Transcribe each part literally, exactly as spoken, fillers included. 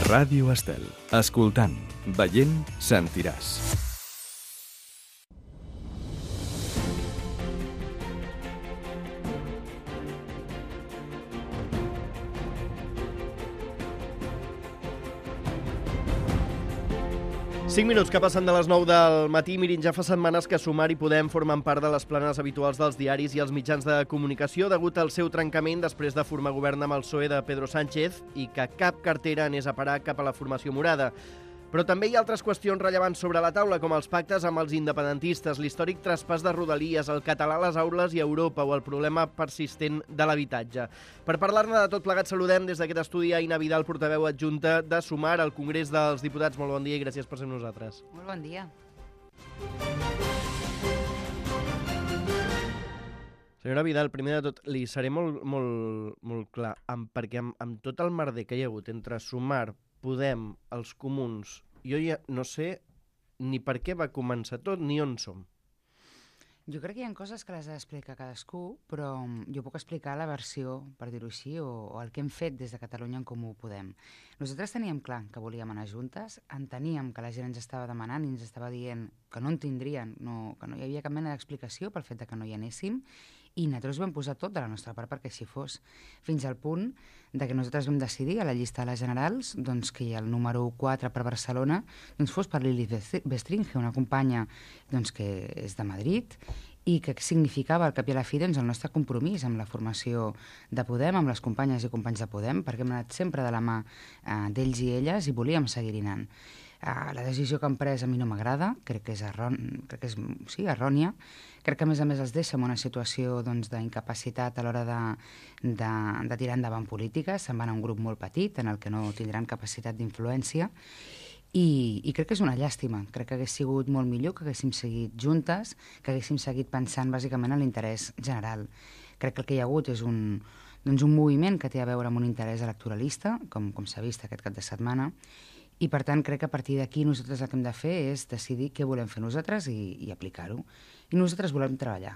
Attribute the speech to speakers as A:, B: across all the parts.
A: Ràdio Estel. Escoltant, veient, sentiràs.
B: cinc minuts que passen de les nou del matí. Mirin, ja fa setmanes que Sumar i Podem formen part de les planes habituals dels diaris i els mitjans de comunicació degut al seu trencament després de formar govern amb el P S O E de Pedro Sánchez i que cap cartera anés a parar cap a la formació morada. Però també hi ha altres qüestions rellevants sobre la taula, com els pactes amb els independentistes, l'històric traspàs de Rodalies, el català a les aules i a Europa o el problema persistent de l'habitatge. Per parlar-ne de tot plegat, saludem des d'aquest estudi a Aina Vidal, portaveu adjunta de Sumar al Congrés dels Diputats. Molt bon dia i gràcies per ser amb nosaltres.
C: Molt bon dia.
B: Senyora Vidal, primer de tot, li seré molt, molt, molt clar, amb, perquè amb, amb tot el merder que hi ha hagut entre Sumar, Podem, els comuns, jo ja no sé ni per què va començar tot ni on som.
C: Jo crec que hi ha coses que les ha d'explicar cadascú, però jo puc explicar la versió, per dir-ho així, o, o el que hem fet des de Catalunya en Comú Podem. Nosaltres teníem clar que volíem anar juntes, enteníem que la gent ens estava demanant i ens estava dient que no en tindrien, no, que no hi havia cap mena d'explicació pel fet de que no hi anéssim, i nosaltres vam posar tot de la nostra part perquè així fos, fins al punt de que nosaltres vam decidir a la llista de les generals doncs, que el número quatre per Barcelona doncs, fos per Lili Bestringe, una companya doncs, que és de Madrid i que significava al cap i a la fi doncs, el nostre compromís amb la formació de Podem, amb les companyes i companys de Podem, perquè hem anat sempre de la mà eh, d'ells i elles i volíem seguir anant. Uh, la decisió que han pres a mi no m'agrada, crec que és, erròn... crec que és sí, errònia. Crec que a més a més els deixa en una situació doncs, d'incapacitat a l'hora de, de, de tirar endavant polítiques. Se'n van a un grup molt petit en el que no tindran capacitat d'influència i, i crec que és una llàstima. Crec que hagués sigut molt millor que haguéssim seguit juntes, que haguéssim seguit pensant bàsicament en l'interès general. Crec que el que hi ha hagut és un, doncs, un moviment que té a veure amb un interès electoralista, com, com s'ha vist aquest cap de setmana, i per tant crec que a partir d'aquí nosaltres el que hem de fer és decidir què volem fer nosaltres i, i aplicar-ho. I nosaltres volem treballar.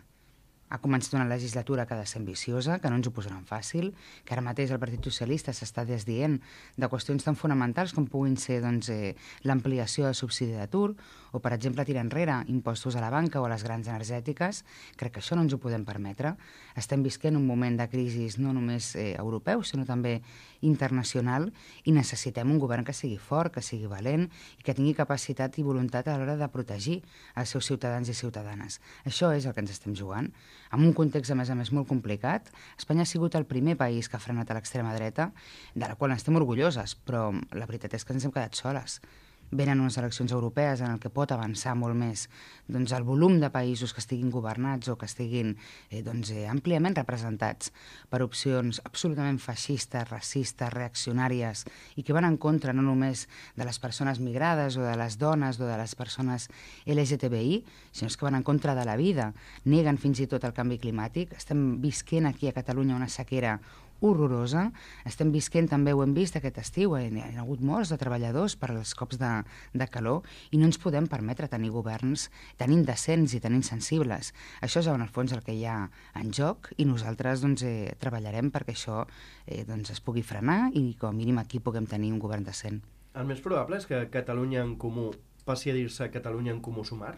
C: Ha començat una legislatura que ha de ser ambiciosa, que no ens ho posaran fàcil, que ara mateix el Partit Socialista s'està desdient de qüestions tan fonamentals com puguin ser doncs, eh, l'ampliació del subsidi d'atur o, per exemple, tirar enrere impostos a la banca o a les grans energètiques. Crec que això no ens ho podem permetre. Estem visquent un moment de crisi no només eh, europeu, sinó també internacional i necessitem un govern que sigui fort, que sigui valent i que tingui capacitat i voluntat a l'hora de protegir els seus ciutadans i ciutadanes. Això és el que ens estem jugant. En un context, a més a més, molt complicat, Espanya ha sigut el primer país que ha frenat a l'extrema dreta, de la qual estem orgulloses, però la veritat és que ens hem quedat soles. Venen unes eleccions europees en el que pot avançar molt més doncs, el volum de països que estiguin governats o que estiguin eh, doncs, eh, àmpliament representats per opcions absolutament feixistes, racistes, reaccionàries i que van en contra no només de les persones migrades o de les dones o de les persones L G T B I, sinó que van en contra de la vida, neguen fins i tot el canvi climàtic. Estem visquent aquí a Catalunya una sequera horrorosa. Estem visquent, també ho hem vist aquest estiu, hi ha hagut morts de treballadors per als cops de, de calor i no ens podem permetre tenir governs tan indecents i tan insensibles. Això és en el fons el que hi ha en joc i nosaltres doncs, eh, treballarem perquè això eh, doncs, es pugui frenar i com a mínim aquí puguem tenir un govern decent.
B: El més probable és que Catalunya en Comú passi a dir-se Catalunya en Comú Sumar?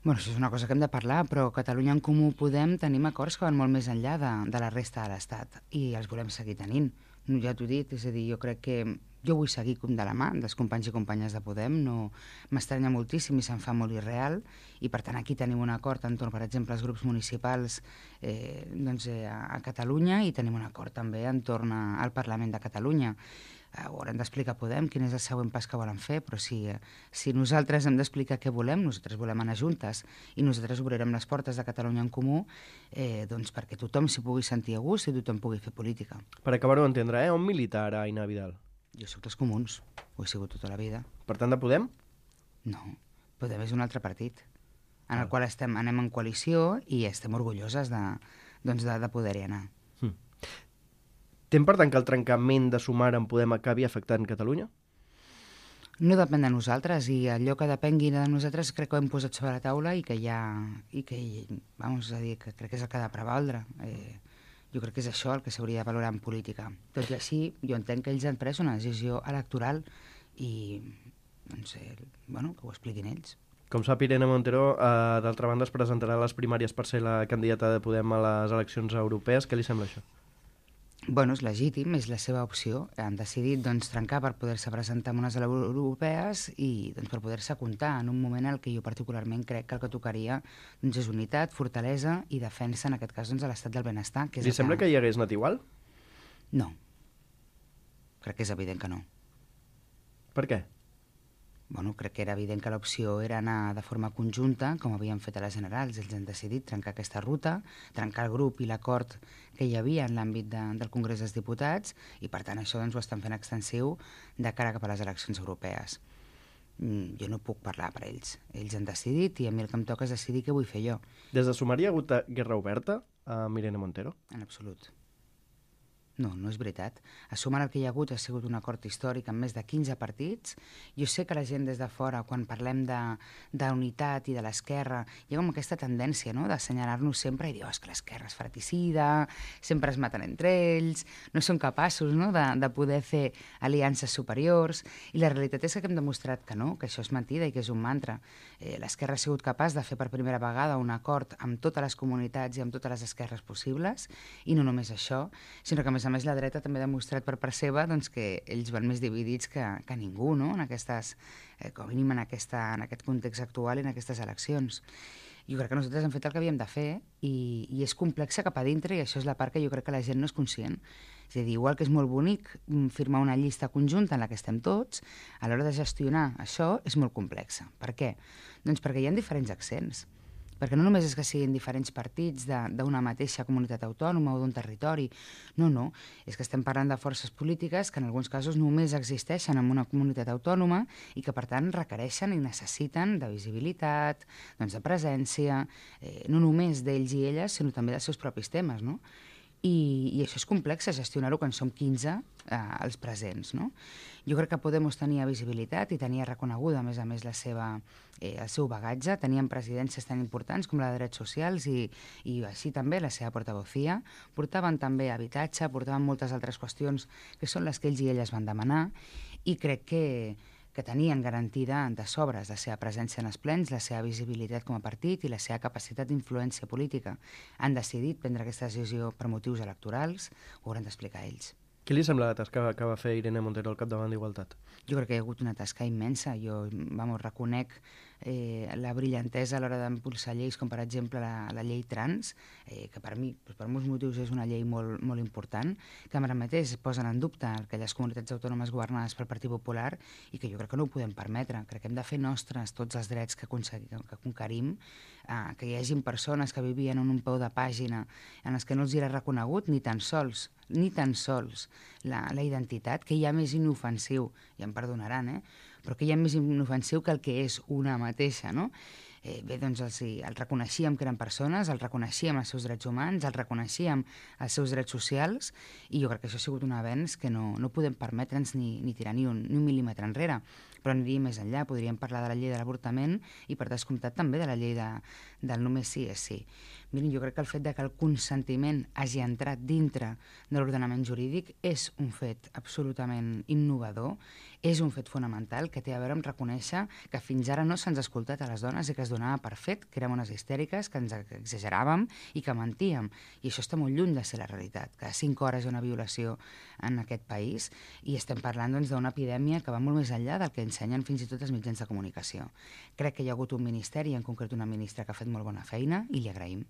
C: Bueno, això és una cosa que hem de parlar, però Catalunya en Comú Podem tenim acords que van molt més enllà de, de la resta de l'Estat i els volem seguir tenint. Ja t'ho he dit, és a dir, jo crec que jo vull seguir com de la mà dels companys i companyes de Podem, no m'estranya moltíssim i se'n fa molt irreal i per tant aquí tenim un acord entorn, per exemple, als grups municipals eh, doncs, eh, a Catalunya i tenim un acord també entorn a, al Parlament de Catalunya. Haurem d'explicar Podem quin és el següent pas que volen fer, però si, si nosaltres hem d'explicar què volem, nosaltres volem anar juntes i nosaltres obrirem les portes de Catalunya en Comú eh, doncs perquè tothom s'hi pugui sentir a gust i tothom pugui fer política.
B: Per acabar-ho d'entendre, eh? On milita ara Aina Vidal?
C: Jo soc dels comuns, ho he sigut tota la vida.
B: Per tant, de Podem?
C: No, Podem és un altre partit en el ah. qual estem, anem en coalició i estem orgulloses de, doncs de, de poder-hi anar.
B: Hmm. Tem per tant que el trencament de Sumar en Podem acabi afectant Catalunya?
C: No depèn de nosaltres i allò que depengui de nosaltres crec que ho hem posat sobre la taula i que hi ha... i que, vamos a dir, que crec que és el que ha de prevaldre. Eh, Jo crec que és això el que s'hauria de valorar en política. Tot i així, jo entenc que ells han pres una decisió electoral i, doncs, eh, bueno, que ho expliquin ells.
B: Com sap, Irene Montero, eh, d'altra banda, es presentarà a les primàries per ser la candidata de Podem a les eleccions europees. Què li sembla això?
C: Bueno, és legítim, és la seva opció. Han decidit doncs, trencar per poder-se presentar en unes europees i doncs, per poder-se comptar en un moment en què jo particularment crec que el que tocaria doncs, és unitat, fortalesa i defensa, en aquest cas, doncs, de l'estat del benestar. Que és
B: Li sembla que... que hi hagués anat igual?
C: No. Crec que és evident que no.
B: Per què?
C: Bueno, crec que era evident que l'opció era anar de forma conjunta, com havien fet a les generals. Ells han decidit trencar aquesta ruta, trencar el grup i l'acord que hi havia en l'àmbit de, del Congrés dels Diputats, i per tant això doncs, ho estan fent extensiu de cara cap a les eleccions europees. Mm, jo no puc parlar per ells. Ells han decidit i a mi el que em toca és decidir què vull fer jo.
B: Des de Sumar hi ha hagut guerra oberta amb Irene Montero?
C: En absolut. No, no és veritat. A Sumar el que hi ha hagut ha sigut un acord històric amb més de quinze partits. Jo sé que la gent des de fora, quan parlem de, de unitat i de l'esquerra, hi ha com aquesta tendència, no?, d'assenyalar-nos sempre i dir, oh, és que l'esquerra és fratricida, sempre es maten entre ells, no són capaços, no?, de, de poder fer aliances superiors. I la realitat és que hem demostrat que no, que això és mentida i que és un mantra. Eh, l'esquerra ha sigut capaç de fer per primera vegada un acord amb totes les comunitats i amb totes les esquerres possibles, i no només això, sinó que a més a més la dreta també ha demostrat per part seva doncs, que ells van més dividits que, que ningú, no?, en aquestes, eh, com a mínim en, aquesta, en aquest context actual i en aquestes eleccions. Jo crec que nosaltres hem fet el que havíem de fer i, i és complexa cap a dintre, i això és la part que jo crec que la gent no és conscient. És a dir, igual que és molt bonic firmar una llista conjunta en la que estem tots, a l'hora de gestionar això és molt complexa. Per què? Doncs perquè hi ha diferents accents. Perquè no només és que siguin diferents partits d'una mateixa comunitat autònoma o d'un territori, no, no, és que estem parlant de forces polítiques que en alguns casos només existeixen en una comunitat autònoma i que per tant requereixen i necessiten de visibilitat, doncs de presència, eh, no només d'ells i elles, sinó també dels seus propis temes, no? I, i això és complex, gestionar-ho quan som quinze eh, els presents, no? Jo crec que Podemos tenia visibilitat i tenia reconeguda, a més a més, la seva, eh, el seu bagatge. Tenien presidències tan importants com la de Drets Socials i, i així també la seva portavocía. Portaven també habitatge, portaven moltes altres qüestions que són les que ells i elles van demanar, i crec que que tenien garantida de sobres la seva presència en els plens, la seva visibilitat com a partit i la seva capacitat d'influència política. Han decidit prendre aquesta decisió per motius electorals, ho hauran d'explicar ells.
B: Què li sembla la tasca que va fer Irene Montero al capdavant d'Igualtat?
C: Jo crec que hi ha hagut una tasca immensa. Jo, vamos, reconec eh, la brillantesa a l'hora d'impulsar lleis, com per exemple la, la llei trans, eh, que per mi, per molts motius, és una llei molt, molt important, que ara mateix posen en dubte aquelles comunitats autònomes governades pel Partit Popular i que jo crec que no ho podem permetre. Crec que hem de fer nostres tots els drets que, que conquerim, eh, que hi hagin persones que vivien en un peu de pàgina en els que no els era reconegut ni tan sols ni tan sols la, la identitat, que hi ha més inofensiu, ja em perdonaran, eh? però que hi ha més inofensiu que el que és una mateixa, no? Eh, bé, doncs els, els reconeixíem que eren persones, els reconeixíem els seus drets humans, els reconeixíem els seus drets socials, i jo crec que això ha sigut un avenç que no, no podem permetre'ns ni, ni tirar ni un, ni un mil·límetre enrere. Però aniríem més enllà, podríem parlar de la llei de l'avortament i, per descomptat, també de la llei de, del només sí és sí. Miren, jo crec que el fet de que el consentiment hagi entrat dintre de l'ordenament jurídic és un fet absolutament innovador, és un fet fonamental que té a veure amb reconèixer que fins ara no se'ns ha escoltat a les dones i que es donava per fet que érem unes histèriques, que ens exageràvem i que mentíem. I això està molt lluny de ser la realitat. Cada cinc hores hi ha una violació en aquest país i estem parlant doncs, d'una epidèmia que va molt més enllà del que ensenyen fins i tot els mitjans de comunicació. Crec que hi ha hagut un ministeri, en concret una ministra, que ha fet molt bona feina i li agraïm.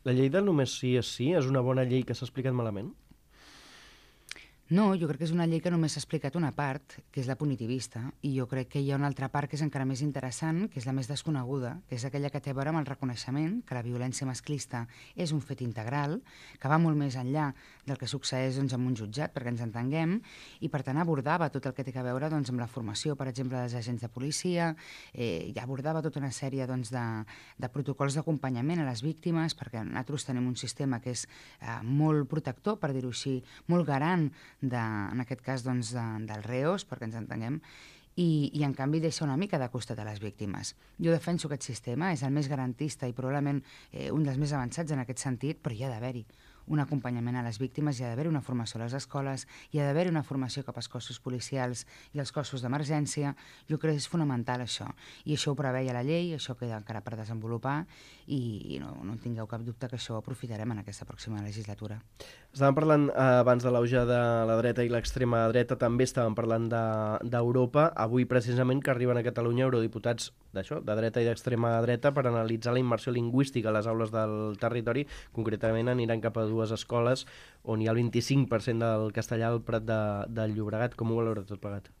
B: La llei del només sí és sí és una bona llei que s'ha explicat malament?
C: No, jo crec que és una llei que només s'ha explicat una part, que és la punitivista, i jo crec que hi ha una altra part que és encara més interessant, que és la més desconeguda, que és aquella que té a veure amb el reconeixement que la violència masclista és un fet integral, que va molt més enllà del que succeeix doncs, en un jutjat, perquè ens entenguem, i per tant abordava tot el que té a veure doncs, amb la formació, per exemple, dels agents de policia, eh, ja abordava tota una sèrie doncs, de, de protocols d'acompanyament a les víctimes, perquè nosaltres tenim un sistema que és eh, molt protector, per dir-ho així, molt garant de, en aquest cas doncs, de, dels reos, perquè ens entenguem, i, i en canvi deixa una mica de costat a les víctimes. Jo defenso aquest sistema, és el més garantista i probablement eh, un dels més avançats en aquest sentit, però hi ha d'haver-hi un acompanyament a les víctimes, hi ha d'haver una formació a les escoles, hi ha d'haver una formació cap als cossos policials i als cossos d'emergència. Jo crec que és fonamental això. I això ho preveia la llei, això queda encara per desenvolupar i, i no, no tingueu cap dubte que això ho aprofitarem en aquesta pròxima legislatura.
B: Estàvem parlant eh, abans de l'auge de la dreta i l'extrema dreta, també estàvem parlant d'Europa. De, Avui, precisament, que arriben a Catalunya eurodiputats d'això, de dreta i d'extrema dreta, per analitzar la immersió lingüística a les aules del territori. Concretament aniran cap a dues escoles on hi ha el vint-i-cinc per cent del castellà al Prat de, del Llobregat. Com ho valora tot plegat?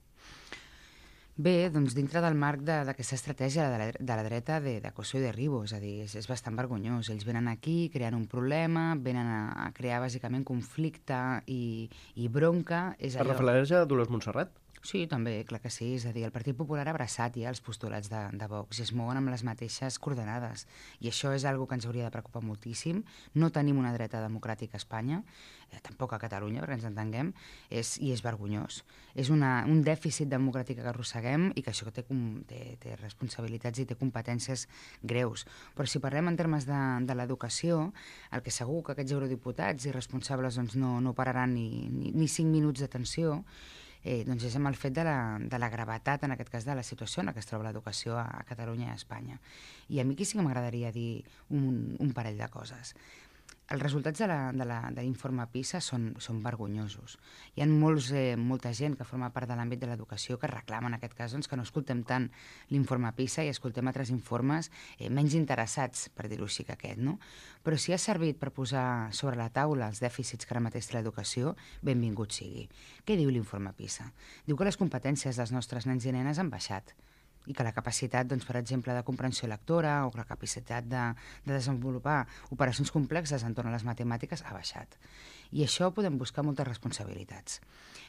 C: Bé, doncs dintre del marc d'aquesta estratègia de la, de la dreta de, de coso i derribo, és a dir, és, és bastant vergonyós. Ells venen aquí, creen un problema, venen a, a crear bàsicament conflicte i, i bronca. És allò...
B: Es refereix a Dolors Montserrat?
C: Sí, també, clar que sí. És a dir, el Partit Popular ha abraçat ja els postulats de, de Vox i es mouen amb les mateixes coordenades. I això és algo que ens hauria de preocupar moltíssim. No tenim una dreta democràtica a Espanya, eh, tampoc a Catalunya, perquè ens entenguem, és, i és vergonyós. És una, un dèficit democràtic que arrosseguem i que això té, té, té responsabilitats i té competències greus. Però si parlem en termes de, de l'educació, el que segur que aquests eurodiputats i responsables doncs, no, no pararan ni, ni, ni cinc minuts d'atenció, Eh, doncs és amb el fet de la, de la gravetat, en aquest cas de la situació en la que es troba l'educació a, a Catalunya i a Espanya. I a mi aquí sí que m'agradaria dir un, un parell de coses. Els resultats de l'informe PISA són, són vergonyosos. Hi ha molts, eh, molta gent que forma part de l'àmbit de l'educació que reclama en aquest cas doncs, que no escoltem tant l'informe PISA i escoltem altres informes eh, menys interessats, per dir-ho així, que aquest. No? Però si ha servit per posar sobre la taula els dèficits que ara mateix té l'educació, benvingut sigui. Què diu l'informe PISA? Diu que les competències dels nostres nens i nenes han baixat i que la capacitat, doncs, per exemple, de comprensió lectora o la capacitat de, de desenvolupar operacions complexes entorn a les matemàtiques ha baixat. I això podem buscar moltes responsabilitats.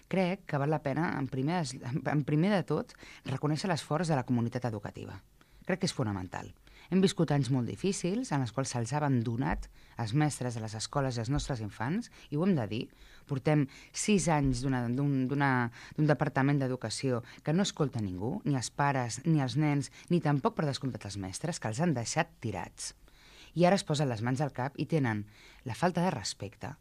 C: Crec que val la pena, en primer, en primer de tot, reconèixer l'esforç de la comunitat educativa. Crec que és fonamental. Hem viscut anys molt difícils en els quals se'ls ha abandonat els mestres de les escoles i els nostres infants, i ho hem de dir. Portem sis anys d'un departament d'educació que no escolta ningú, ni els pares, ni els nens, ni tampoc per descomptat els mestres, que els han deixat tirats. I ara es posen les mans al cap i tenen la falta de respecte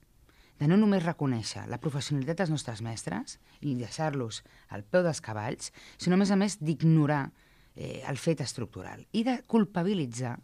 C: de no només reconèixer la professionalitat dels nostres mestres i deixar-los al peu dels cavalls, sinó, a més a més, d'ignorar eh, el fet estructural i de culpabilitzar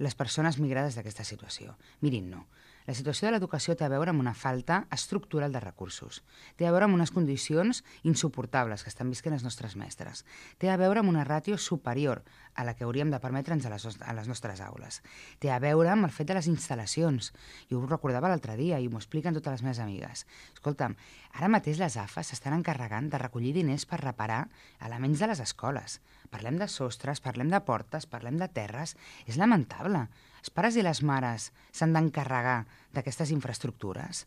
C: les persones migrades d'aquesta situació. Mirin, no. La situació de l'educació té a veure amb una falta estructural de recursos. Té a veure amb unes condicions insuportables que estan visquent els nostres mestres. Té a veure amb una ràtio superior a la que hauríem de permetre'ns a les, a les nostres aules. Té a veure amb el fet de les instal·lacions. Jo ho recordava l'altre dia i m'ho expliquen totes les meves amigues. Escolta'm, ara mateix les A F A s'estan encarregant de recollir diners per reparar elements de les escoles. Parlem de sostres, parlem de portes, parlem de terres. És lamentable. Els pares i les mares s'han d'encarregar d'aquestes infraestructures.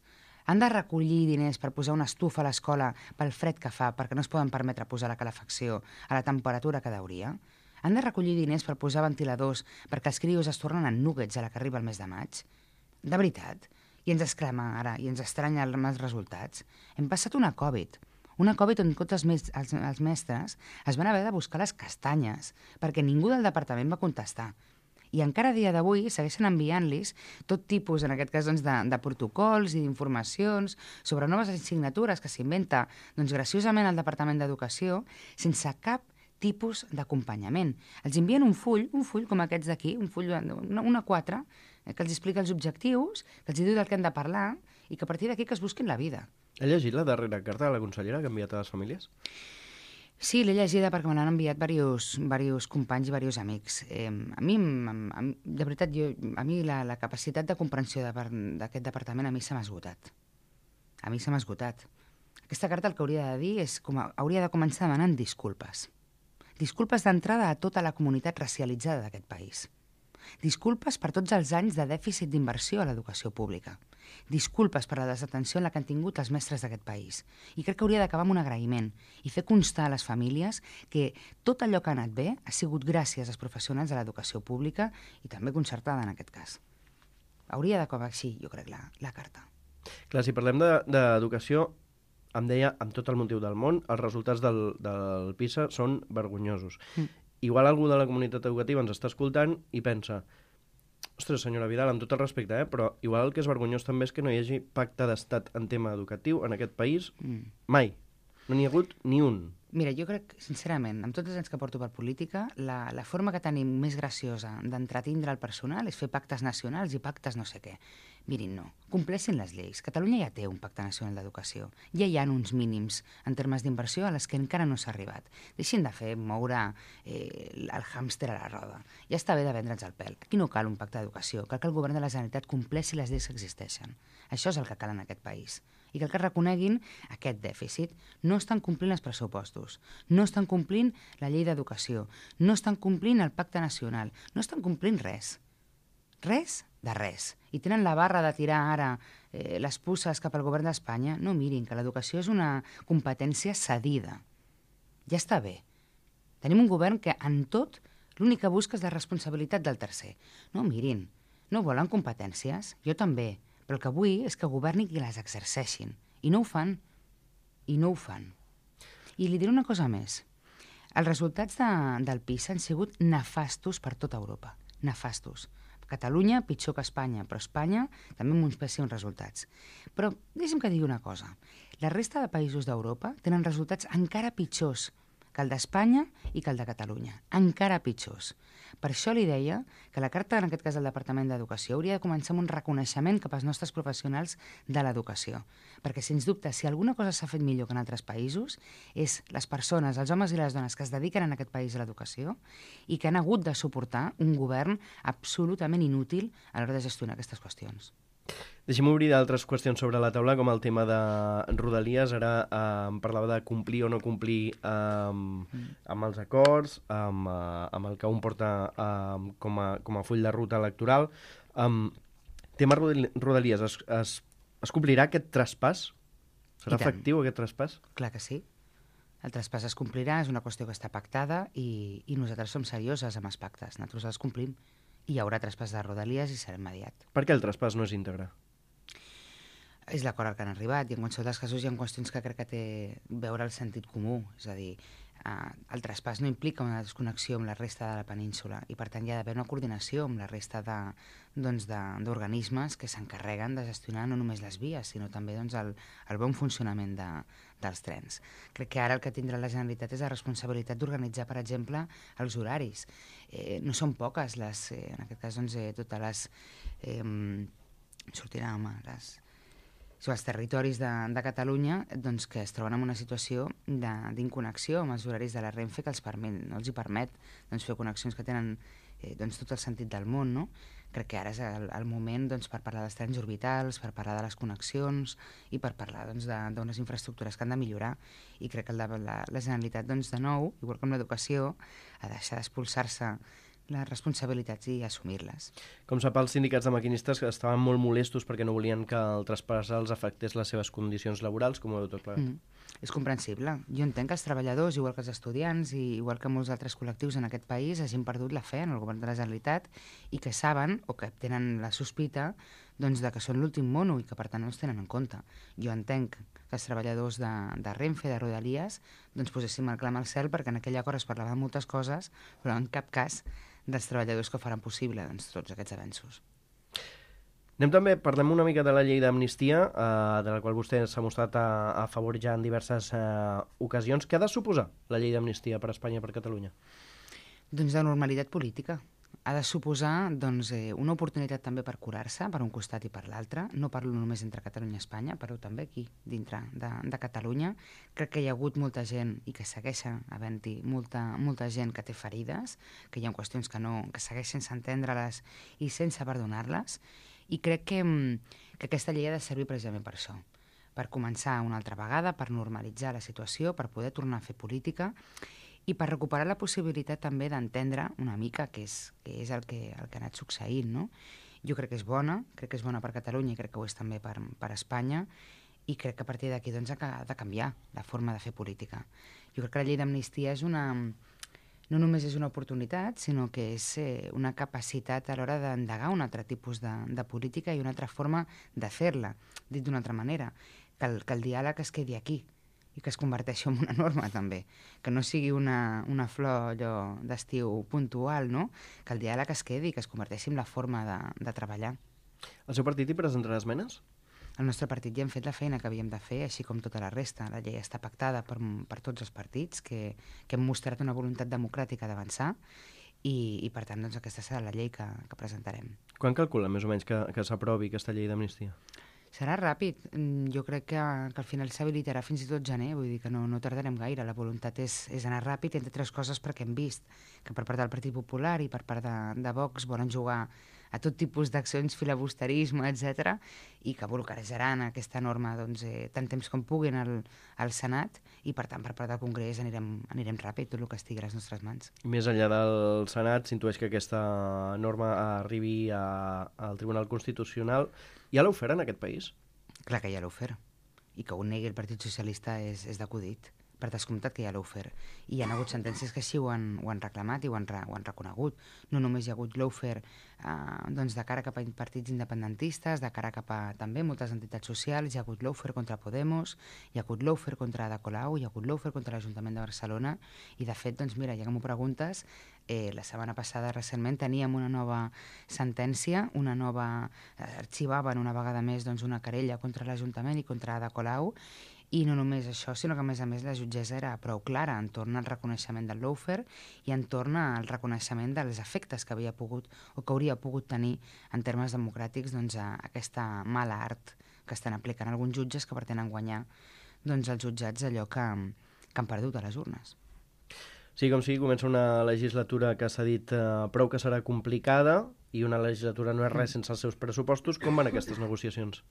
C: Han de recollir diners per posar una estufa a l'escola pel fred que fa, perquè no es poden permetre posar la calefacció a la temperatura que deuria. Han de recollir diners per posar ventiladors perquè els crios es tornen en nuggets a la que arriba el mes de maig. De veritat. I ens exclama ara, i ens estranya els resultats. Hem passat una Covid. Una Covid on tots els, mes els, els mestres es van haver de buscar les castanyes perquè ningú del departament va contestar. I encara a dia d'avui segueixen enviant-los tot tipus, en aquest cas, doncs, de, de protocols i d'informacions sobre noves assignatures que s'inventa doncs, graciosament al Departament d'Educació sense cap tipus d'acompanyament. Els envien un full, un full com aquests d'aquí, un full, una, una quatre, que els explica els objectius, que els diu del que han de parlar i que a partir d'aquí que es busquin la vida.
B: Ha llegit la darrera carta de la consellera que ha enviat a les famílies?
C: Sí, l'he llegida perquè me l'han enviat diversos, diversos companys i diversos amics. Eh, a mi, a, de veritat, jo, a mi la, la capacitat de comprensió d'aquest departament a mi se m'ha esgotat. A mi se m'ha esgotat. Aquesta carta el que hauria de dir és com a, hauria de començar demanant disculpes. Disculpes d'entrada a tota la comunitat racialitzada d'aquest país. Disculpes per tots els anys de dèficit d'inversió a l'educació pública. Disculpes per la desatenció en la que han tingut els mestres d'aquest país. I crec que hauria d'acabar amb un agraïment i fer constar a les famílies que tot allò que ha anat bé ha sigut gràcies als professionals de l'educació pública i també concertada en aquest cas. Hauria d'acabar així, jo crec, la, la carta.
B: Clar, si parlem d'educació, de, em deia, amb tot el motiu del món, els resultats del, del PISA són vergonyosos. Mm. Igual algú de la comunitat educativa ens està escoltant i pensa Ostres, senyora Vidal, amb tot el respecte, eh? però igual el que és vergonyós també és que no hi hagi pacte d'estat en tema educatiu en aquest país mm. mai. No n'hi ha hagut ni un.
C: Mira, jo crec, sincerament, amb tots els anys que porto per política, la, la forma que tenim més graciosa d'entretindre el personal és fer pactes nacionals i pactes no sé què. Mirin, no. Compleixin les lleis. Catalunya ja té un pacte nacional d'educació. Ja hi ha uns mínims en termes d'inversió a les que encara no s'ha arribat. Deixin de fer moure eh, el hàmster a la roda. Ja està bé de vendre'ns el pèl. Aquí no cal un pacte d'educació. Cal que el govern de la Generalitat compleixi les lleis que existeixen. Això és el que cal en aquest país. I cal que reconeguin aquest dèficit. No estan complint els pressupostos, no estan complint la llei d'educació, no estan complint el pacte nacional, no estan complint res. Res de res. I tenen la barra de tirar ara eh, les puces cap al govern d'Espanya. No mirin, que l'educació és una competència cedida. Ja està bé. Tenim un govern que en tot l'únic que busca és la responsabilitat del tercer. No mirin, no volen competències? Jo també. Però el que vull és que governi qui les exerceixin. I no ho fan. I no ho fan. I li diré una cosa més. Els resultats de, del PISA han sigut nefastos per tota Europa. Nefastos. Catalunya pitjor que Espanya, però Espanya també amb uns pèssims resultats. Però deixa'm que digui una cosa. La resta de països d'Europa tenen resultats encara pitjors que el d'Espanya i que el de Catalunya. Encara pitjors. Per això li deia que la carta, en aquest cas del Departament d'Educació, hauria de començar amb un reconeixement cap als nostres professionals de l'educació. Perquè, sens dubte, si alguna cosa s'ha fet millor que en altres països, és les persones, els homes i les dones que es dediquen en aquest país a l'educació i que han hagut de suportar un govern absolutament inútil a l'hora de gestionar aquestes qüestions.
B: Deixem obrir d'altres qüestions sobre la taula, com el tema de Rodalies. Ara eh, em parlava de complir o no complir eh, mm. amb els acords, amb, eh, amb el que un porta eh, com, a, com a full de ruta electoral. Um, tema Rodalies, es, es, es complirà aquest traspàs? Serà efectiu aquest traspàs?
C: Clar que sí. El traspàs es complirà, és una qüestió que està pactada i, i nosaltres som serioses amb els pactes, nosaltres els complim. I hi haurà traspàs de Rodalies i serà immediat.
B: Per què el traspàs no és íntegre?
C: És l'acord al que han arribat i en qualsevol dels casos hi ha qüestions que crec que té a veure el sentit comú. És a dir, eh, el traspàs no implica una desconnexió amb la resta de la península i per tant hi ha d'haver una coordinació amb la resta de, doncs, d'organismes que s'encarreguen de gestionar no només les vies sinó també doncs, el, el bon funcionament de, dels trens. Crec que ara el que tindrà la Generalitat és la responsabilitat d'organitzar, per exemple, els horaris. Eh, no són poques les, eh, en aquest cas, doncs, eh, totes les... Eh, sortirà, home, les... Són els territoris de, de Catalunya doncs, que es troben en una situació d'inconnexió amb els horaris de la Renfe que els permet, no els hi permet doncs, fer connexions que tenen eh, doncs, tot el sentit del món. No? Crec que ara és el, el moment doncs, per parlar dels trens orbitals, per parlar de les connexions i per parlar doncs, d'unes infraestructures que han de millorar. I crec que la, la, la Generalitat, doncs, de nou, igual que amb l'educació, ha de deixar d'expulsar-se les responsabilitats i assumir-les.
B: Com sap, els sindicats de maquinistes estaven molt molestos perquè no volien que el traspàs els afectés les seves condicions laborals, com ho veu tot plegat.
C: Mm. És comprensible. Jo entenc que els treballadors, igual que els estudiants i igual que molts altres col·lectius en aquest país, hagin perdut la fe en el govern de la Generalitat i que saben o que tenen la sospita doncs, de que són l'últim mono i que per tant no els tenen en compte. Jo entenc que els treballadors de, de Renfe, de Rodalies, doncs poséssim el clam al cel perquè en aquell acord es parlava de moltes coses, però en cap cas dels treballadors que faran possible doncs, tots aquests avenços.
B: Anem també, parlem una mica de la llei d'amnistia, eh, de la qual vostè s'ha mostrat a, a favor ja en diverses eh, ocasions. Què ha de suposar la llei d'amnistia per Espanya i per Catalunya?
C: Doncs de normalitat política. Ha de suposar doncs, eh, una oportunitat també per curar-se, per un costat i per l'altre. No parlo només entre Catalunya i Espanya, però també aquí, dintre de, de Catalunya. Crec que hi ha hagut molta gent i que segueix havent-hi molta, molta gent que té ferides, que hi ha qüestions que, no, que segueix sense entendre-les i sense perdonar-les. I crec que, que aquesta llei ha de servir precisament per això, per començar una altra vegada, per normalitzar la situació, per poder tornar a fer política i per recuperar la possibilitat també d'entendre una mica què és, què és el, que, el que ha anat succeint. No? Jo crec que és bona, crec que és bona per Catalunya i crec que ho és també per, per Espanya i crec que a partir d'aquí doncs, ha de canviar la forma de fer política. Jo crec que la llei d'amnistia és una... no només és una oportunitat, sinó que és eh, una capacitat a l'hora d'endegar un altre tipus de, de política i una altra forma de fer-la. Dit d'una altra manera, que el, que el diàleg es quedi aquí i que es converteixi en una norma, també. Que no sigui una, una flor allò d'estiu puntual, no? Que el diàleg es quedi, que es converteixi en la forma de, de treballar.
B: El seu partit hi presentarà esmenes?
C: Al nostre partit ja hem fet la feina que havíem de fer, així com tota la resta. La llei està pactada per, per tots els partits, que, que hem mostrat una voluntat democràtica d'avançar, i, i per tant doncs, aquesta serà la llei que, que presentarem.
B: Quan calcula més o menys que, que s'aprovi aquesta llei d'amnistia?
C: Serà ràpid. Jo crec que, que al final s'habilitarà fins i tot gener, vull dir que no, no tardarem gaire. La voluntat és, és anar ràpid, entre altres coses perquè hem vist que per part del Partit Popular i per part de, de Vox volen jugar a tot tipus d'accions, filabusterisme, etcètera, i que bloquejaran aquesta norma doncs, eh, tant temps com puguin al, al Senat, i per tant per part del Congrés anirem, anirem ràpid, tot el que estigui a les nostres mans.
B: Més enllà del Senat, s'intueix que aquesta norma arribi a, al Tribunal Constitucional. Ja l'ha ofert en aquest país?
C: Clar que ja l'ha ofert, i que ho negui el Partit Socialista és, és d'acudit. Per descomptat que ja l'ha ofert. I hi ha hagut sentències que així ho han, ho han reclamat i ho han, ho han reconegut. No només hi ha hagut l'ofert eh, doncs de cara cap a partits independentistes, de cara cap a també moltes entitats socials, hi ha hagut l'ofert contra Podemos, hi ha hagut l'ofert contra Ada Colau, hi ha hagut l'ofert contra l'Ajuntament de Barcelona, i de fet, doncs mira, ja que m'ho preguntes, eh, la setmana passada recentment teníem una nova sentència, una nova... Eh, arxivaven una vegada més doncs, una querella contra l'Ajuntament i contra Ada Colau. I no només això, sinó que a més a més la jutgessa era prou clara entorn al reconeixement del lawfare i entorn al reconeixement dels efectes que havia pogut o que hauria pogut tenir en termes democràtics doncs, a aquesta mala art que estan aplicant alguns jutges que pretenen guanyar doncs, els jutjats allò que, que han perdut a les urnes.
B: Sí, com sigui, comença una legislatura que s'ha dit eh, prou que serà complicada, i una legislatura no és res sense els seus pressupostos. Com van aquestes negociacions?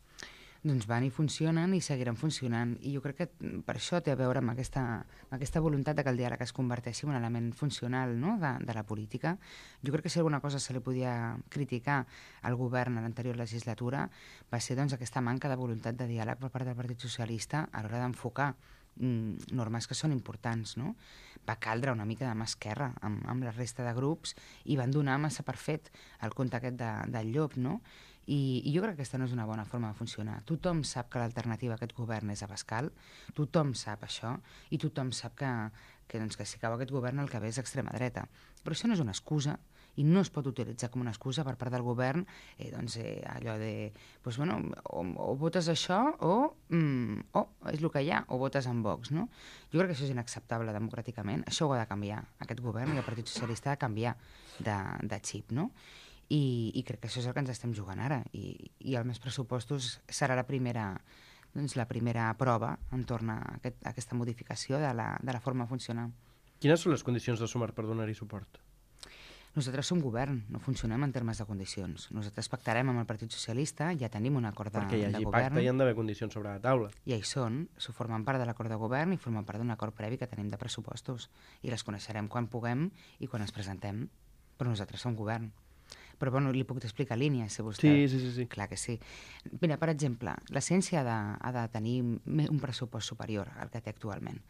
C: Doncs van i funcionen i seguiran funcionant, i jo crec que per això té a veure amb aquesta, amb aquesta voluntat de que el diàleg es converteixi en un element funcional, no?, de, de la política. Jo crec que si alguna cosa se li podia criticar al govern a l'anterior legislatura va ser doncs, aquesta manca de voluntat de diàleg per part del Partit Socialista a l'hora d'enfocar mm, normes que són importants, no? Va caldre una mica de mà esquerra amb, amb la resta de grups i van donar massa per fet el conte aquest de, del llop, no? I, I jo crec que aquesta no és una bona forma de funcionar. Tothom sap que l'alternativa a aquest govern és Abascal, tothom sap això, i tothom sap que, que, doncs, que si cau aquest govern el que ve és extrema dreta. Però això no és una excusa, i no es pot utilitzar com una excusa per part del govern eh, doncs, eh, allò de, doncs, bueno, o, o votes això o, mm, o és el que hi ha, o votes en Vox, no? Jo crec que això és inacceptable democràticament, això ho ha de canviar, aquest govern i el Partit Socialista ha de canviar de, de xip, no? I, i crec que això és el que ens estem jugant ara, i, i el més pressupostos serà la primera, doncs, la primera prova entorn a, aquest, a aquesta modificació de la, de la forma de funcionar.
B: Quines són les condicions de Sumar per donar-hi suport?
C: Nosaltres som govern, no funcionem en termes de condicions. Nosaltres pactarem amb el Partit Socialista, ja tenim un acord de,
B: Perquè hi hagi
C: de govern.
B: pacte hi han d'haver condicions sobre la taula.
C: I hi són, s'ho formen part de l'acord de govern i formen part d'un acord previ que tenim de pressupostos. I les coneixerem quan puguem i quan es presentem. Però nosaltres som govern. Però bueno, li puc explicar línies, si vostè...
B: Sí, sí, sí, sí.
C: Clar que sí. Mira, per exemple, la ciència ha de, ha de tenir un pressupost superior al que té actualment.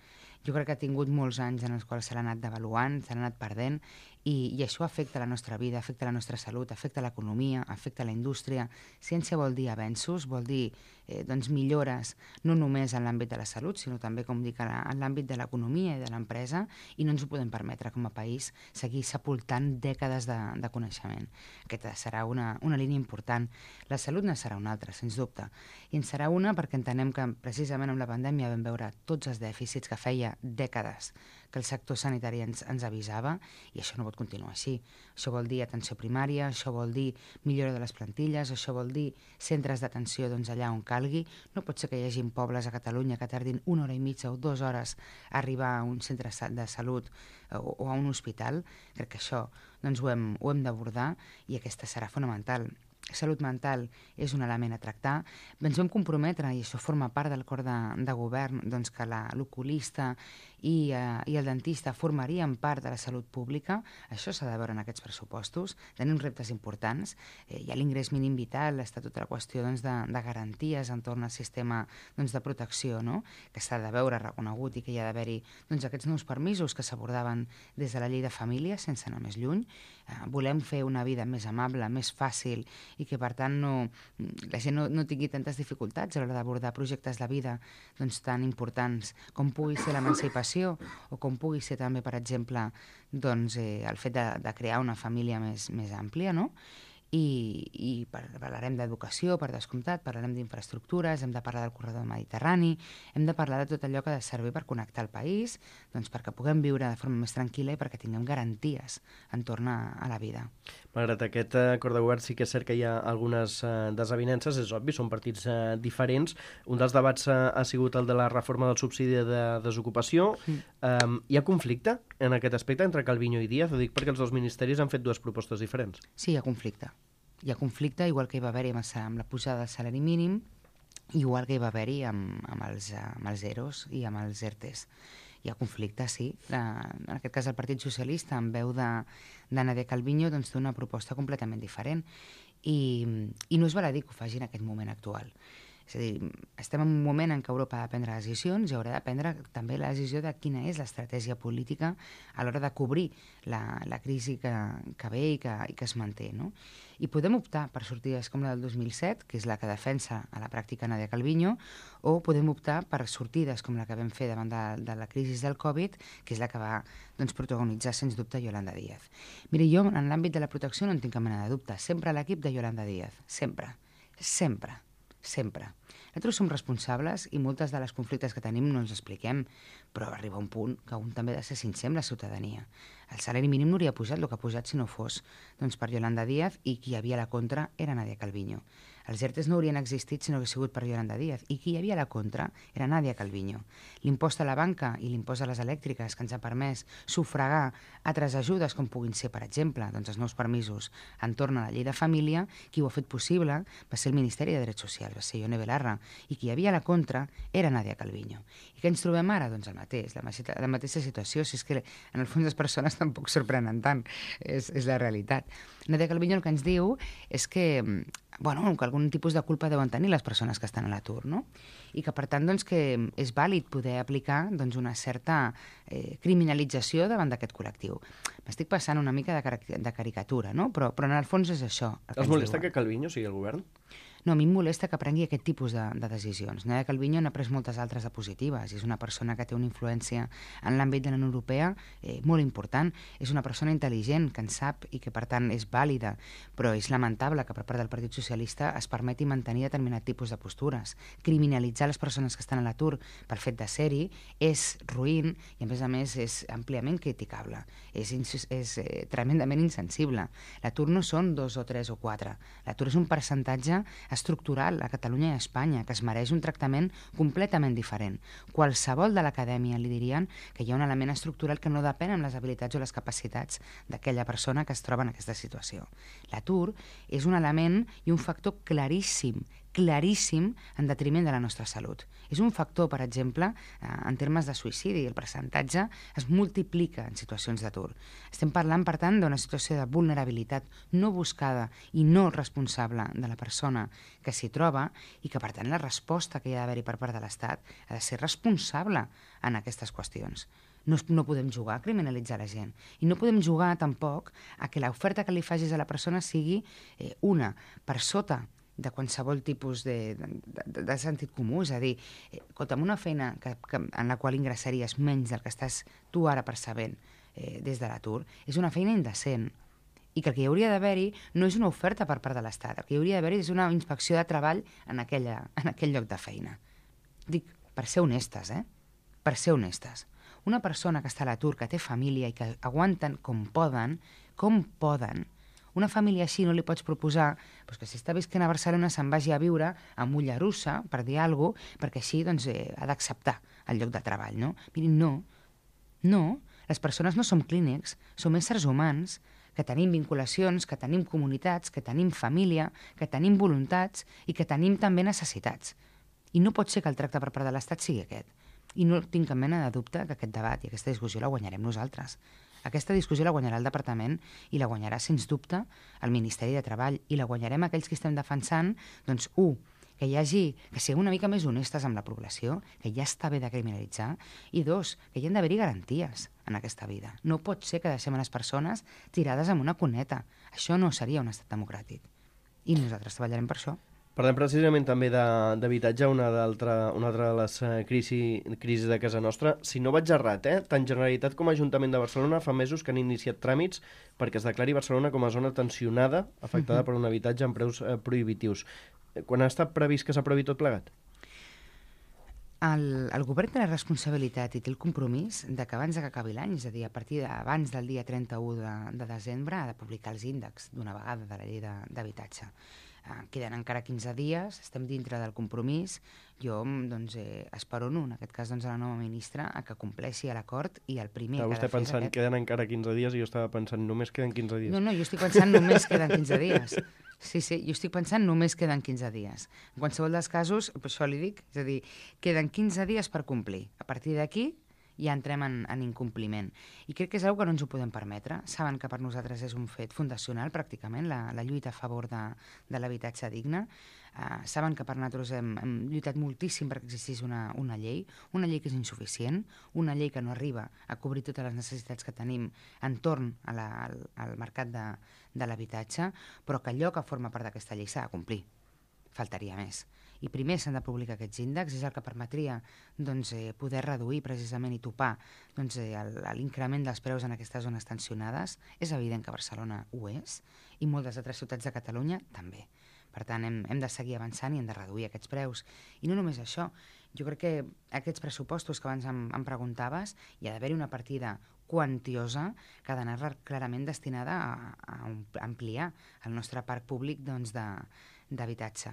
C: Jo crec que ha tingut molts anys en els quals se l'ha anat devaluant, se l'ha anat perdent, i, i això afecta la nostra vida, afecta la nostra salut, afecta l'economia, afecta la indústria. Ciència vol dir avenços, vol dir eh, doncs millores no només en l'àmbit de la salut, sinó també, com dic, en l'àmbit de l'economia i de l'empresa, i no ens ho podem permetre com a país seguir sepultant dècades de, de coneixement. Aquesta serà una, una línia important. La salut ne serà una altra, sens dubte. I en serà una perquè entenem que precisament amb la pandèmia vam veure tots els dèficits que feia dècades que el sector sanitari ens, ens avisava, i això no pot continuar així. Això vol dir atenció primària, això vol dir millora de les plantilles, això vol dir centres d'atenció doncs, allà on calgui. No pot ser que hi hagi pobles a Catalunya que tardin una hora i mitja o dues hores a arribar a un centre de salut o, o a un hospital. Crec que això doncs, ho hem, ho hem d'abordar, i aquesta serà fonamental. Salut mental és un element a tractar. Ens vam comprometre, i això forma part del acord de, de govern, doncs que l'oculista i, eh, i el dentista formarien part de la salut pública. Això s'ha de veure en aquests pressupostos. Tenim reptes importants. Eh, hi ha l'ingrés mínim vital, està tota la qüestió doncs, de, de garanties entorn al sistema doncs, de protecció, no?, que s'ha de veure reconegut, i que hi ha d'haver-hi doncs, aquests nous permisos que s'abordaven des de la llei de família, sense anar més lluny. Eh, volem fer una vida més amable, més fàcil i que, per tant, no, la gent no, no tingui tantes dificultats a l'hora d'abordar projectes de vida doncs, tan importants com pugui ser l'emancipació o com pugui ser també, per exemple, doncs, eh, el fet de, de crear una família més, més àmplia, no? I, i parlarem d'educació, per descomptat, parlarem d'infraestructures, hem de parlar del corredor mediterrani, hem de parlar de tot allò que ha de servir per connectar el país, doncs perquè puguem viure de forma més tranquil·la i perquè tinguem garanties entorn a, a la vida.
B: Malgrat aquest acord de govern, sí que és cert que hi ha algunes eh, desavinences, és obvi, són partits eh, diferents. Un dels debats eh, ha sigut el de la reforma del subsidi de desocupació. Mm. Um, hi ha conflicte en aquest aspecte entre Calviño i Díaz? Ho dic perquè els dos ministeris han fet dues propostes diferents.
C: Sí, hi ha conflicte. Hi ha conflicte, igual que hi va haver-hi amb, amb la pujada del salari mínim, igual que hi va haver-hi amb, amb, els, amb els EROs i amb els ERTEs. Hi ha conflicte, sí. La, en aquest cas, el Partit Socialista, en veu de, de Nadia Calviño, doncs, té una proposta completament diferent. I, I no és baladí que ho faci en aquest moment actual. És a dir, estem en un moment en què Europa ha de prendre decisions i haurà de prendre també la decisió de quina és l'estratègia política a l'hora de cobrir la, la crisi que, que ve i que, i que es manté, no? I podem optar per sortides com la del dos mil set, que és la que defensa a la pràctica Nadia Calviño, o podem optar per sortides com la que vam fer davant de, de la crisi del Covid, que és la que va doncs, protagonitzar, sens dubte, Yolanda Díaz. Mira, jo en l'àmbit de la protecció no en tinc cap mena de dubte. Sempre a l'equip de Yolanda Díaz. Sempre. Sempre. Sempre. Nosaltres som responsables i moltes de les conflictes que tenim no ens expliquem, però arriba un punt que un també ha de ser sincer amb la ciutadania. El salari mínim no hauria pujat el que ha pujat si no fos doncs, per Yolanda Díaz, i qui hi havia a la contra era Nadia Calviño. Els ERTEs no haurien existit si no hagués sigut per Yolanda Díaz, i qui hi havia a la contra era Nadia Calviño. L'impost a la banca i l'impost a les elèctriques que ens ha permès sufragar altres ajudes com puguin ser, per exemple, doncs els nous permisos entorn a la llei de família, qui ho ha fet possible va ser el Ministeri de Drets Socials, va ser Ione Belarra, i qui hi havia a la contra era Nadia Calviño. I què ens trobem ara? Doncs el mateix, la, la mateixa situació, si és que en el fons les persones tampoc sorprenen tant, és, és la realitat. Nadia Calviño el que ens diu és que bueno, que algun tipus de culpa deuen tenir les persones que estan a l'atur, no? I que, per tant, doncs, que és vàlid poder aplicar doncs, una certa eh, criminalització davant d'aquest col·lectiu. M'estic passant una mica de, caric de caricatura, no? Però, però en el fons és això.
B: Els molesta que Calviño sigui el govern?
C: No, a mi em molesta que prengui aquest tipus de, de decisions. Nadia Calviño n'ha pres moltes altres de positives. És una persona que té una influència en l'àmbit de la Unió Europea eh, molt important. És una persona intel·ligent, que en sap i que, per tant, és vàlida. Però és lamentable que per part del Partit Socialista es permeti mantenir determinat tipus de postures. Criminalitzar les persones que estan a l'atur pel fet de ser-hi és ruïn i, a més a més, és àmpliament criticable. És, és eh, tremendament insensible. L'atur no són dos o tres o quatre. L'atur és un percentatge estructural a Catalunya i a Espanya, que es mereix un tractament completament diferent. Qualsevol de l'acadèmia li dirien que hi ha un element estructural que no depèn amb les habilitats o les capacitats d'aquella persona que es troba en aquesta situació. L'atur és un element i un factor claríssim, claríssim en detriment de la nostra salut. És un factor, per exemple, en termes de suïcidi. El percentatge es multiplica en situacions d'atur. Estem parlant, per tant, d'una situació de vulnerabilitat no buscada i no responsable de la persona que s'hi troba i que, per tant, la resposta que hi ha d'haver-hi per part de l'Estat ha de ser responsable en aquestes qüestions. No, no podem jugar a criminalitzar la gent. I no podem jugar, tampoc, a que l'oferta que li facis a la persona sigui eh, una per sota de qualsevol tipus de, de, de sentit comú, és a dir, eh, amb una feina que, que, en la qual ingressaries menys del que estàs tu ara percebent eh, des de l'atur, és una feina indecent. I que el que hi hauria d'haver-hi no és una oferta per part de l'Estat, el que hi hauria d'haver-hi és una inspecció de treball en, aquella, en aquell lloc de feina. Dic, per ser honestes, eh? Per ser honestes. Una persona que està a l'atur, que té família i que aguanten com poden, com poden, una família així no li pots proposar doncs, que si està visquent a Barcelona se'n vagi a viure a Mollerussa, per dir alguna cosa, perquè així doncs, eh, ha d'acceptar el lloc de treball, no? Mirin, no, no, les persones no som clínics, som éssers humans, que tenim vinculacions, que tenim comunitats, que tenim família, que tenim voluntats i que tenim també necessitats. I no pot ser que el tracte per part de l'Estat sigui aquest. I no tinc cap mena de dubte que aquest debat i aquesta discussió la guanyarem nosaltres. Aquesta discussió la guanyarà el departament i la guanyarà, sens dubte, el Ministeri de Treball, i la guanyarem aquells que estem defensant, doncs, un, que hi hagi, que siguem una mica més honestes amb la població, que ja està bé de criminalitzar, i dos, que hi ha d'haver-hi garanties en aquesta vida. No pot ser que deixem a les persones tirades amb una cuneta. Això no seria un estat democràtic. I nosaltres treballarem per això.
B: Parlem precisament també d'habitatge, una, una altra de les crisi, crisis de casa nostra. Si no vaig errat, eh? tant Generalitat com Ajuntament de Barcelona fa mesos que han iniciat tràmits perquè es declari Barcelona com a zona tensionada, afectada uh-huh. per un habitatge amb preus eh, prohibitius. Quan ha estat previst que s'aprovi tot plegat?
C: El, el govern té la responsabilitat i té el compromís de que abans que acabi l'any, és a dir, a partir d'abans del dia trenta-u de, de desembre, ha de publicar els índexs d'una vegada de la llei d'habitatge. Uh, queden encara quinze dies, estem dintre del compromís. Jo doncs, eh, espero, no, en aquest cas doncs, a la nova ministra, a que compleixi l'acord i el primer
B: Estava
C: que ha de fer
B: pensant,
C: és aquest...
B: queden encara quinze dies i jo estava pensant, només queden quinze dies.
C: No, no, jo estic pensant només queden quinze dies. Sí, sí, jo estic pensant només queden quinze dies. En qualsevol dels casos, per això li dic, és a dir, queden quinze dies per complir. A partir d'aquí ja entrem en, en incompliment. I crec que és una cosa que no ens ho podem permetre. Saben que per nosaltres és un fet fundacional, pràcticament, la, la lluita a favor de, de l'habitatge digne. Uh, saben que per nosaltres hem, hem lluitat moltíssim perquè existís una, una llei, una llei que és insuficient, una llei que no arriba a cobrir totes les necessitats que tenim entorn a la, al, al mercat de, de l'habitatge, però que allò que forma part d'aquesta llei s'ha de complir. Faltaria més. I primer s'han de publicar aquests índexs, és el que permetria doncs, eh, poder reduir precisament i topar doncs, eh, l'increment dels preus en aquestes zones tensionades. És evident que Barcelona ho és i moltes altres ciutats de Catalunya també. Per tant, hem, hem de seguir avançant i hem de reduir aquests preus. I no només això, jo crec que aquests pressupostos que abans em, em preguntaves, hi ha d'haver-hi una partida quantiosa que ha d'anar clarament destinada a, a ampliar el nostre parc públic doncs, de, d'habitatge.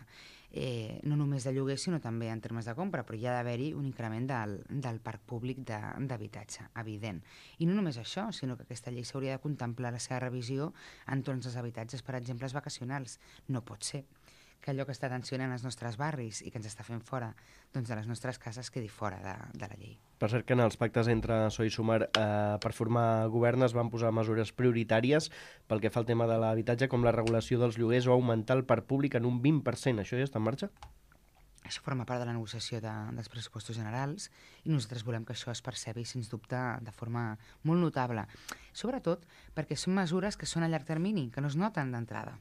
C: Eh, no només de lloguer, sinó també en termes de compra, però hi ha d'haver-hi un increment del, del parc públic d'habitatge, evident. I no només això, sinó que aquesta llei s'hauria de contemplar la seva revisió entorn dels habitatges, per exemple, els vacacionals. No pot ser que allò que està tensionant els nostres barris i que ens està fent fora doncs, de les nostres cases quedi fora de, de la llei.
B: Per cert que en els pactes entre P S O E i Sumar eh, per formar govern es van posar mesures prioritàries pel que fa al tema de l'habitatge, com la regulació dels lloguers o augmentar el parc públic en un vint per cent. Això ja està en marxa?
C: Això forma part de la negociació de, dels pressupostos generals i nosaltres volem que això es percebi, sens dubte, de forma molt notable. Sobretot perquè són mesures que són a llarg termini, que no es noten d'entrada.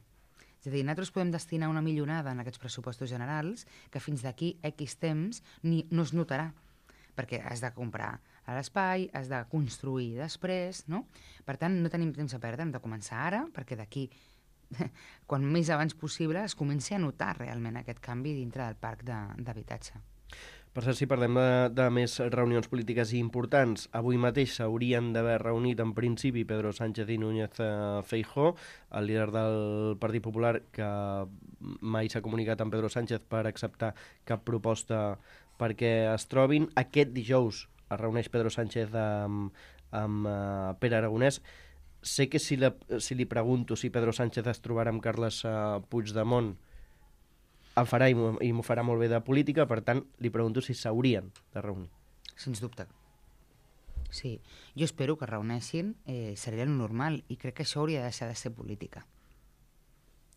C: És a dir, nosaltres podem destinar una milionada en aquests pressupostos generals que fins d'aquí X temps ni, no es notarà, perquè has de comprar a l'espai, has de construir després, no? Per tant, no tenim temps a perdre, hem de començar ara, perquè d'aquí, quan més abans possible, es comenci a notar realment aquest canvi dintre del parc d'habitatge.
B: Per cert, si parlem de, de més reunions polítiques importants, avui mateix s'haurien d'haver reunit en principi Pedro Sánchez i Núñez Feijóo, el líder del Partit Popular, que mai s'ha comunicat amb Pedro Sánchez per acceptar cap proposta perquè es trobin. Aquest dijous es reuneix Pedro Sánchez amb, amb uh, Pere Aragonès. Sé que si, la, si li pregunto si Pedro Sánchez es trobarà amb Carles uh, Puigdemont, em farà i m'ho farà molt bé de política, per tant, li pregunto si s'haurien de reunir.
C: Sens dubte. Sí, jo espero que reuneixin, eh, seria el normal, i crec que això hauria de deixar de ser política.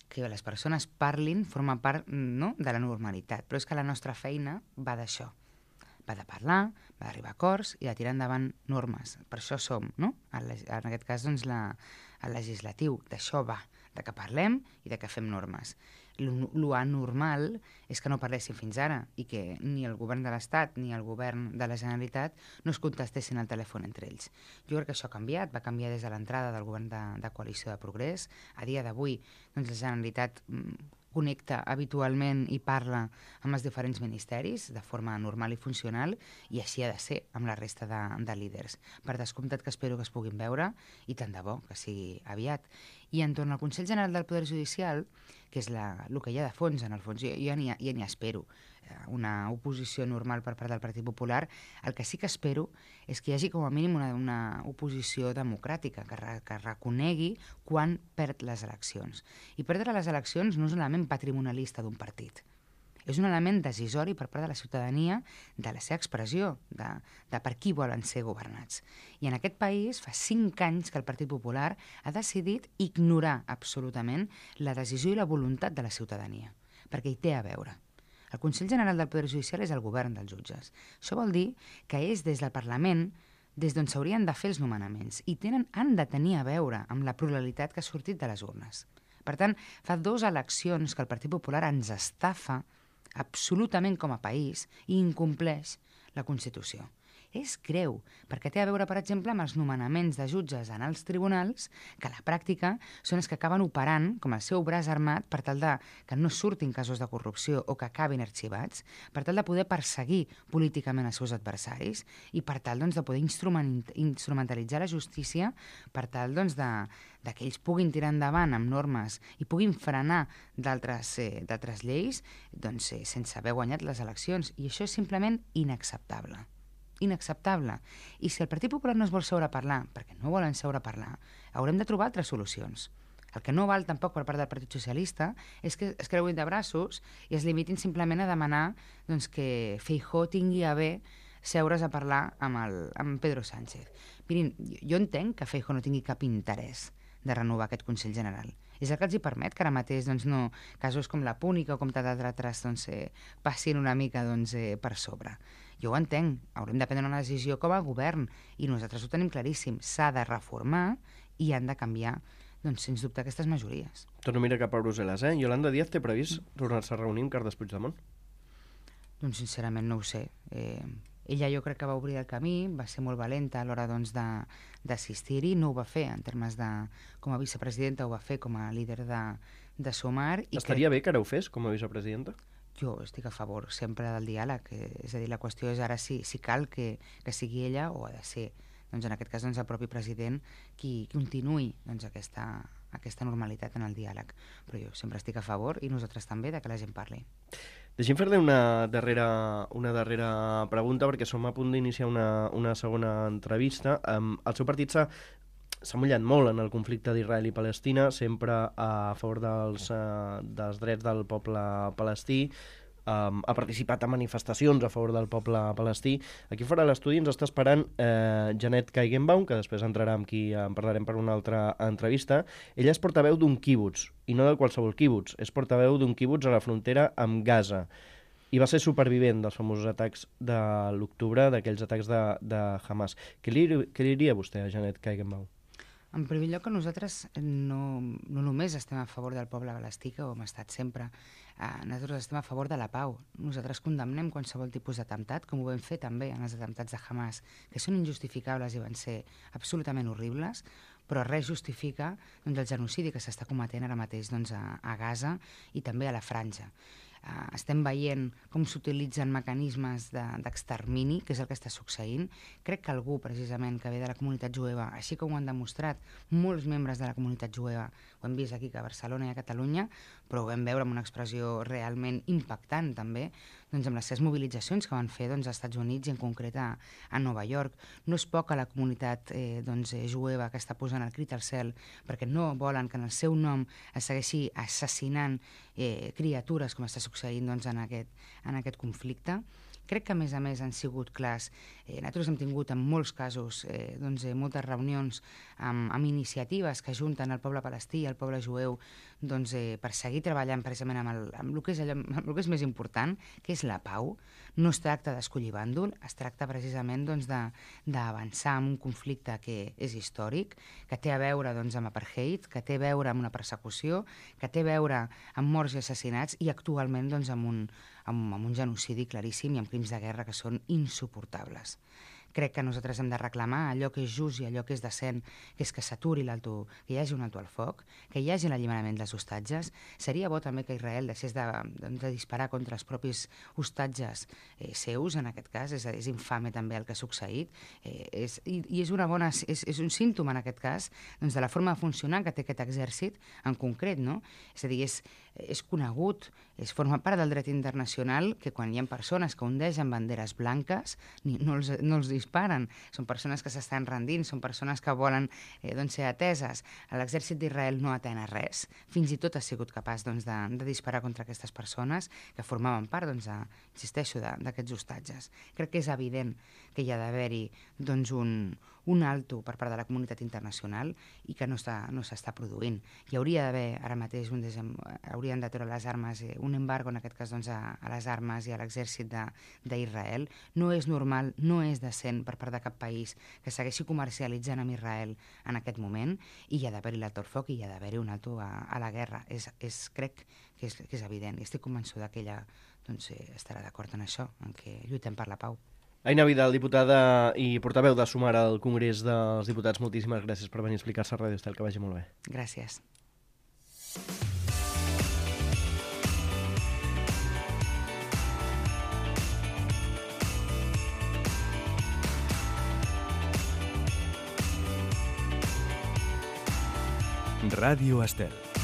C: Que les persones parlin forma part, no?, de la normalitat, però és que la nostra feina va d'això. Va de parlar, va d'arribar a acords i de tirar endavant normes. Per això som, no?, en aquest cas, doncs, la, el legislatiu. D'això va, de que parlem i de que fem normes. Lo anormal és que no parlessin fins ara i que ni el govern de l'Estat ni el govern de la Generalitat no es contestessin al telèfon entre ells. Jo crec que això ha canviat, va canviar des de l'entrada del govern de, de Coalició de Progrés. A dia d'avui, doncs, la Generalitat connecta habitualment i parla amb els diferents ministeris de forma normal i funcional, i així ha de ser amb la resta de, de líders. Per descomptat que espero que es puguin veure, i tant de bo que sigui aviat. I entorn al Consell General del Poder Judicial, que és la, el que hi ha de fons, en el fons, jo, jo ja n'hi espero una oposició normal per part del Partit Popular. El que sí que espero és que hi hagi com a mínim una, una oposició democràtica, que, re, que reconegui quan perd les eleccions. I perdre les eleccions no és un element patrimonialista d'un partit. És un element decisori per part de la ciutadania de la seva expressió, de, de per qui volen ser governats. I en aquest país fa cinc anys que el Partit Popular ha decidit ignorar absolutament la decisió i la voluntat de la ciutadania, perquè hi té a veure. El Consell General del Poder Judicial és el govern dels jutges. Això vol dir que és des del Parlament des d'on s'haurien de fer els nomenaments i tenen, han de tenir a veure amb la pluralitat que ha sortit de les urnes. Per tant, fa dues eleccions que el Partit Popular ens estafa absolutament com a país i incompleix la Constitució. És greu, perquè té a veure, per exemple, amb els nomenaments de jutges en els tribunals, que a la pràctica són els que acaben operant com el seu braç armat per tal de que no surtin casos de corrupció o que acabin arxivats, per tal de poder perseguir políticament els seus adversaris i per tal doncs, de poder instrument, instrumentalitzar la justícia per tal doncs, de, de que ells puguin tirar endavant amb normes i puguin frenar d'altres eh, d'altres lleis doncs, eh, sense haver guanyat les eleccions. I això és simplement inacceptable. Inacceptable. I si el Partit Popular no es vol seure a parlar, perquè no volen seure a parlar, haurem de trobar altres solucions. El que no val tampoc per part del Partit Socialista és que es creuin de braços i es limitin simplement a demanar doncs, que Feijóo tingui a bé seure's a parlar amb, el, amb Pedro Sánchez. Mirin, jo entenc que Feijóo no tingui cap interès de renovar aquest Consell General. És el que els hi permet que ara mateix doncs, no, casos com la Púnica o com d'altres doncs, eh, passin una mica doncs, eh, per sobre. Jo ho entenc, haurem de prendre una decisió com a govern i nosaltres ho tenim claríssim, s'ha de reformar i han de canviar, doncs, sens dubte, aquestes majories.
B: Torno a mirar cap a Brussel·les, eh? Yolanda Díaz té previst tornar-se a reunir amb Carles Puigdemont?
C: Doncs sincerament no ho sé. Eh, ella jo crec que va obrir el camí, va ser molt valenta a l'hora doncs, d'assistir-hi, no ho va fer en termes de com a vicepresidenta, ho va fer com a líder de, de Sumar. I
B: Estaria
C: crec...
B: bé que ara ho fes com a vicepresidenta?
C: Jo estic a favor sempre del diàleg, eh, és a dir, la qüestió és ara si, si cal que, que sigui ella o ha de ser, doncs en aquest cas doncs, el propi president qui continuï doncs, aquesta, aquesta normalitat en el diàleg. Però jo sempre estic a favor i nosaltres també de que la gent parli.
B: Deixem fer-li una darrera, una darrera pregunta perquè som a punt d'iniciar una, una segona entrevista. Um, el seu partit s'ha s'ha mullat molt en el conflicte d'Israel i Palestina, sempre a favor dels, uh, dels drets del poble palestí, um, ha participat en manifestacions a favor del poble palestí. Aquí fora de l'estudi ens està esperant eh, Janet Kaigenbaum, que després entrarà amb qui en parlarem per una altra entrevista. Ella és portaveu d'un quibuts, i no de qualsevol quibuts, és portaveu d'un quibuts a la frontera amb Gaza. I va ser supervivent dels famosos atacs de l'octubre, d'aquells atacs de, de Hamas. Què li, què li diria vostè a Janet Kaigenbaum?
C: En primer lloc, que nosaltres no, no només estem a favor del poble palestí, que ho hem estat sempre, eh, nosaltres estem a favor de la pau. Nosaltres condemnem qualsevol tipus d'atemptat, com ho vam fer també en els atemptats de Hamas, que són injustificables i van ser absolutament horribles, però res justifica doncs, el genocidi que s'està cometent ara mateix doncs, a, a Gaza i també a la Franja. Uh, estem veient com s'utilitzen mecanismes d'extermini, de, que és el que està succeint. Crec que algú, precisament, que ve de la comunitat jueva, així com ho han demostrat molts membres de la comunitat jueva, ho hem vist aquí que a Barcelona i a Catalunya, però ho vam veure amb una expressió realment impactant, també, doncs amb les seves mobilitzacions que van fer doncs, als Estats Units i en concret a, a Nova York. No és poca la comunitat eh, doncs, jueva que està posant el crit al cel perquè no volen que en el seu nom es segueixi assassinant eh, criatures com està succeint doncs, en, aquest, en aquest conflicte. Crec que, a més a més, han sigut clars. Eh, nosaltres hem tingut, en molts casos, eh, doncs, eh, moltes reunions amb, amb iniciatives que ajunten el poble palestí i el poble jueu doncs, eh, per seguir treballant precisament amb el, amb, el que és allò, amb el que és més important, que és la pau. No es tracta d'escollir bàndol, es tracta precisament doncs, d'avançar en un conflicte que és històric, que té a veure doncs, amb apartheid, que té a veure amb una persecució, que té a veure amb morts i assassinats i actualment doncs, amb un amb, amb un genocidi claríssim i amb crims de guerra que són insuportables. Crec que nosaltres hem de reclamar allò que és just i allò que és decent, que és que s'aturi l'alto, que hi hagi un alto al foc, que hi hagi l'alliberament dels hostatges. Seria bo també que Israel deixés de, de, de disparar contra els propis hostatges eh, seus, en aquest cas. És, és infame també el que ha succeït. Eh, és, i, I és, una bona, és, és un símptoma, en aquest cas, doncs, de la forma de funcionar que té aquest exèrcit en concret. No? És a dir, és, és conegut, és, forma part del dret internacional que quan hi ha persones que ondegen banderes blanques ni, no els, no els disparen, són persones que s'estan rendint, són persones que volen eh, doncs, ser ateses. L'exèrcit d'Israel no atén a res, fins i tot ha sigut capaç doncs, de, de disparar contra aquestes persones que formaven part, doncs, de, insisteixo, d'aquests hostatges. Crec que és evident que hi ha d'haver-hi doncs, un, un alto per part de la comunitat internacional i que no s'està no produint. Hi hauria d'haver ara mateix un desem... hauria s'haurien de treure les armes, eh, un embargo en aquest cas doncs, a, a les armes i a l'exèrcit d'Israel. No és normal, no és decent per part de cap país que segueixi comercialitzant amb Israel en aquest moment, i hi ha d'haver-hi l'alto al foc i hi ha d'haver-hi un alto a, a la guerra. És, és, crec que és, que és evident, i estic convençuda que ella doncs, eh, estarà d'acord en això, en què lluitem per la pau.
B: Aina Vidal, diputada i portaveu de Sumar al Congrés dels Diputats, moltíssimes gràcies per venir a explicar-se a Ràdio Estel, que vagi molt bé.
C: Gràcies.
A: Ràdio Estel.